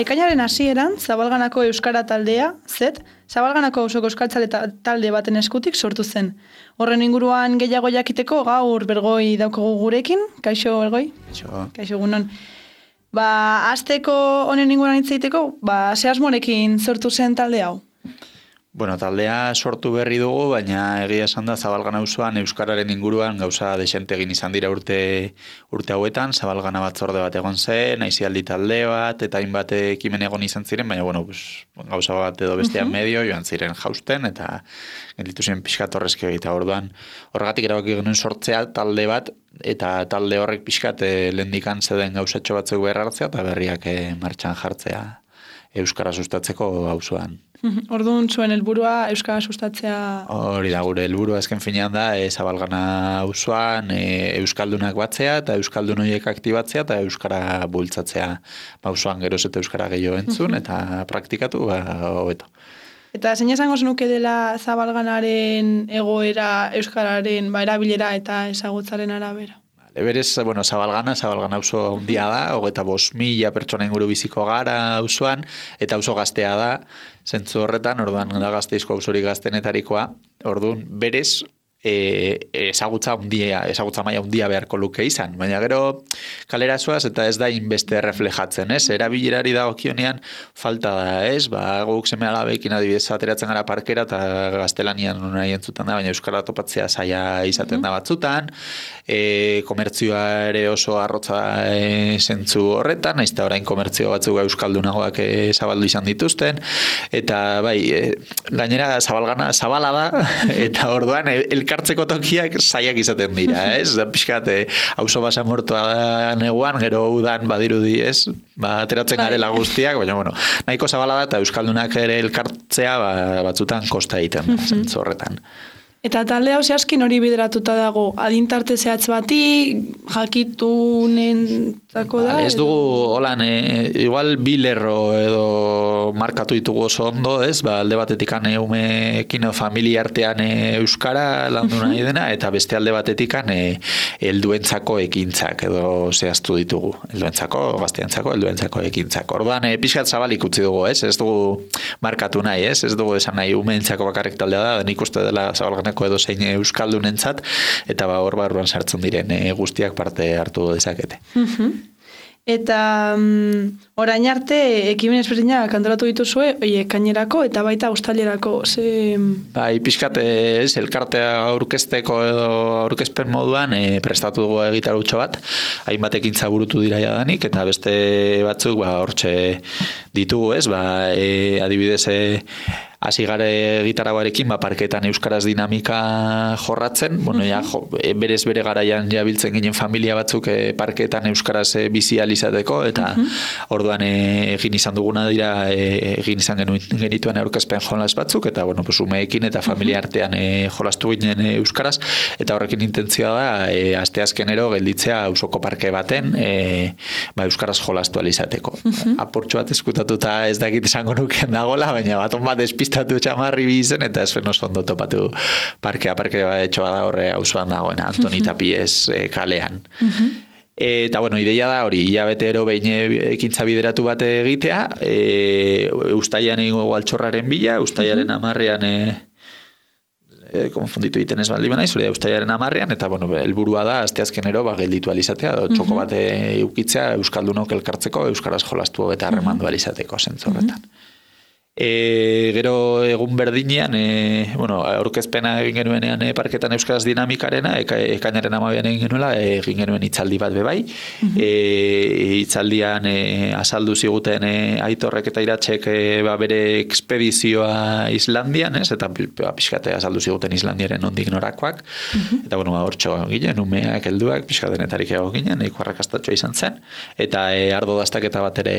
ekainaren hasieran Zabalganako Euskara taldea, Zabalganako Auzoko Euskaltzale talde baten eskutik sortu zen. Horren inguruan gehiago jakiteko gaur Bergoi daukagu gurekin. Kaixo, Bergoi? Kaixo, egunon. Hasteko honen inguruan hitz egiteko, ze asmorekin sortu zen talde hau? Bueno, taldea sortu berri dugu, baina egia esan da Zabalgana auzoan euskararen inguruan gauza desente egin izan dira urte hauetan, Zabalgana batzorde bat egon zen, aisialdi talde bat, eta hainbat ekimen egon izan ziren, baina gauza bat edo bestean medio, joan ziren jausten, eta gelditu ziren pixkat horrezkio egita orduan. Horregatik erabaki genuen sortzea talde bat, eta talde horrek pixkat lehendikan zeden gauzatxo batzuk behar hartzea, eta berriak martxan jartzea euskara sustatzeko auzoan. Orduan zuen helburua euskara sustatzea... Hori da, gure helburua azken finean da Zabalgana auzoan euskaldunak batzea eta euskaldun horiek aktibatzea eta euskara bultzatzea auzoan geroz eta euskara gehiago entzun eta praktikatu hobeto. Eta zein esango zenuke dela Zabalganaren egoera euskararen erabilera eta ezagutzaren arabera? Berez, Zabalgana auzo handia da, 25.000 pertsona inguru biziko gara auzoan, eta auzo gaztea da, zentzu horretan, orduan da Gasteizko auzorik gaztenetarikoa, orduan berez, ezagutza maila handia beharko luke izan, baina gero kalera zoaz eta ez da inbeste reflejatzen, ez? Erabilerari dagokionean falta da, guk seme alabekin adibidez ateratzen gara parkera eta gaztelanian nahi entzutan da, baina euskara topatzea zaila izaten da batzutan, komertzioa ere oso arrotza zentzu horretan, nahiz eta orain komertzio batzuk euskaldunagoak zabaldu izan dituzten, eta gainera Zabalgana zabala da, eta orduan elkartzeko tokiak zailak izaten dira, ez? Pixkat, auzo basamortua neguan, gero udan badirudi, ez? Ateratzen garela guztiak, baina, nahiko zabala da, eta euskaldunak ere elkartzea batzutan kosta egiten, zentzu horretan. Eta talde hau zehazkin hori bideratuta dago, adintarte zehatz bati, jakitunentzako da? Ez dugu, holan, igual bi lerro edo markatu ditugu oso ondo, ez? Alde batetik umeekin familia artean euskara landu nahi dena, eta beste alde batetik helduentzako ekintzak edo zehaztu ditugu. Helduentzako, gazteentzako, helduentzako ekintzak. Orduan, pixkat zabalik utzi dugu, ez? Ez dugu markatu nahi, ez? Ez dugu esan nahi umeentzako bakarrik taldea da, nik uste dela Zabalgana edo zein euskaldunentzat eta hor barruan sartzen diren guztiak parte hartu dezakete. Eta orain arte ekimen ezberdinak antolatu dituzue, ekainerako eta baita uztailerako. Pixkat elkartea aurkezteko edo aurkezpen moduan prestatu dugu egitarutxo bat, hainbat ekintza burutu dira jadanik eta beste batzuk hortxe ditugu, ez? Adibidez hasi gare gitaragoarekin parketan euskaraz dinamika jorratzen, berez bere garaian jabiltzen ginen familia batzuk parketan euskaraz bizializateko, eta orduan egin izan duguna dira, egin izan genituen aurkezpen jolas batzuk, eta umeekin eta familia artean jolastu ginen euskaraz, eta horrekin intentzioa da, asteazkenero gelditzea auzoko parke baten euskaraz jolastu alizateko. Aportxo bat eskutatuta ez dakit esango nuken dagola, baina baton bat despistatu txamarri bizen, eta ez oso ondo topatu parkea etxoa da horre auzoan dagoena, Antoni Tapiez kalean. Eta, ideia da hori, hilabetero behin ekintza bideratu bat egitea, uztailean egingo altxorraren bila, uztailaren 10ean konfunditu egiten ez baldin banaiz, uztailaren 10ean, eta helburua da asteazkenero gelditu alizatea, txoko bat eukitzea euskaldunok elkartzeko, euskaraz jolastu eta harremandu alizateko zentzu horretan. Gero egun berdinean, aurkezpena egin genuenean parketan euskaraz dinamikarena, ekainaren 12ean egin genuela, egin genuen hitzaldi bat bebai. Hitzaldian azaldu ziguten Aitorrek eta Iratzek bere ekspedizioa Islandian, ez? Eta pixkate azaldu ziguten Islandiaren nondik norakoak. Eta hortxo ginen, umeak, helduak, pixkatenetarik egon ginen, nahiko arrakastatxoa izan zen. Eta ardo dastaketa bat ere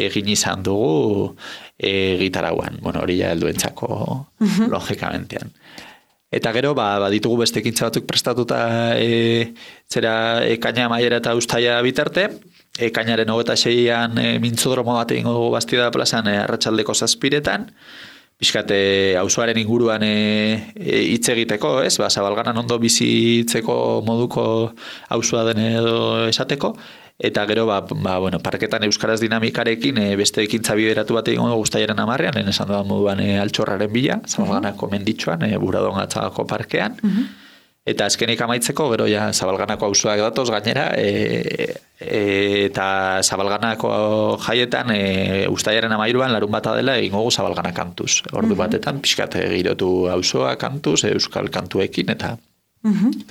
egin izan dugu gitarauan, hori ja helduentzako logikamentean. Eta gero, ditugu beste ekintza batzuk prestatuta zera ekaina maiera eta uztaila bitarte, ekainaren 26ean mintzodromo bat egingo dugu Bastida plazan arratsaldeko 7etan, pixkate auzoaren inguruan hitz egiteko, ez? Ba, Zabalganan ondo bizitzeko moduko auzoa den edo esateko, eta gero, bueno, parketan euskaraz dinamikarekin beste ekintza bideratu bat egingo Uztailaren 10ean, esan da moduan altxorraren bila, Zabalganako menditxoan, Buradon Atzagako parkean, eta azkenik amaitzeko, gero ja Zabalganako auzoak datoz gainera, eta Zabalganako jaietan Uztailaren 13ean larunbata dela egingo gu Zabalgana kantuz. Ordu batetan pixkat girotu auzoa kantuz, euskal kantuekin, eta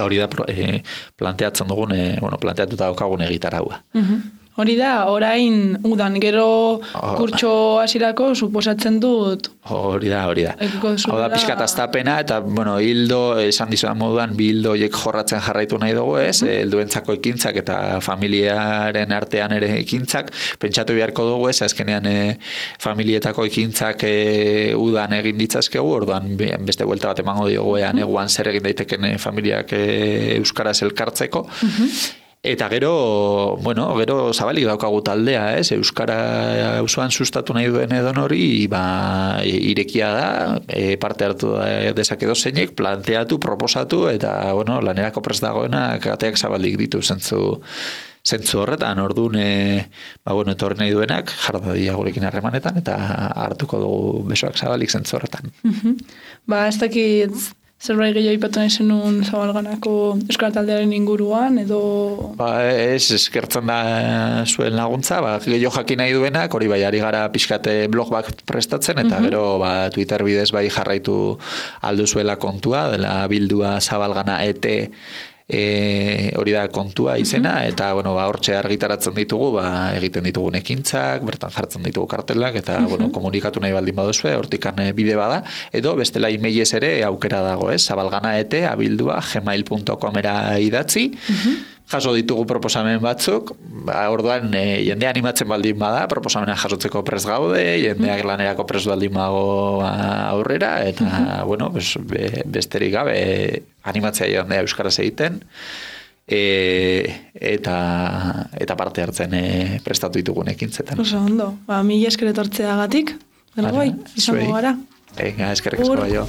hori da planteatzen dugun, planteatuta daukagun egitaraua. Hori da, orain udan, gero kurtso hasierako suposatzen dut. Hori da. Hau da, pixkat aztapena, eta, bueno, hildo, esan dizudan moduan, bi hildo horiek jorratzen jarraitu nahi dugu, ez? Helduentzako ekintzak eta familiaren artean ere ekintzak, pentsatu beharko dugu, ez? Azkenean familietako ekintzak udan egin ditzazkegu, orduan beste buelta bat emango diogu eguan zer egin daiteken familiak euskaraz elkartzeko. Eta gero zabalik daukagu taldea, ez? Euskara auzoan sustatu nahi duen edon hori, irekia da, parte hartu dezake dozeinek, planteatu, proposatu, eta, lanerako prest dagoena, kateak zabalik ditu zentzu horretan, orduan, etorri nahi duenak, jardadia gurekin harremanetan, eta hartuko dugu besoak zabalik zentzu horretan. Ez dakit zerbait gehiago ipatu nahi zenun Zabalganako euskara taldearen inguruan, edo... Ez, eskertzen da zuen laguntza, gehiago jakin nahi duenak, hori ari gara pixkate blog bat prestatzen, eta gero Twitter bidez jarraitu alduzuela kontua, dela bildua Zabalgana ET, hori da kontua izena, eta hortxe argitaratzen ditugu, egiten ditugun ekintzak, bertan jartzen ditugu kartelak, eta komunikatu nahi baldin baduzue, hortikan bide bada, edo bestela emailez ere aukera dago, zabaldganaete@gmail.com-era idatzi, jaso ditugu proposamen batzuk, orduan jendea animatzen baldin bada, proposamena jasotzeko prest gaude, jendeak lanerako prest baldin bago aurrera, eta, besterik gabe animatzea jendea euskaraz egiten, eta parte hartzen prestatu ditugun ekintzetan. Oso ondo, mila esker etortzeagatik, izango gara. Eskerrik asko.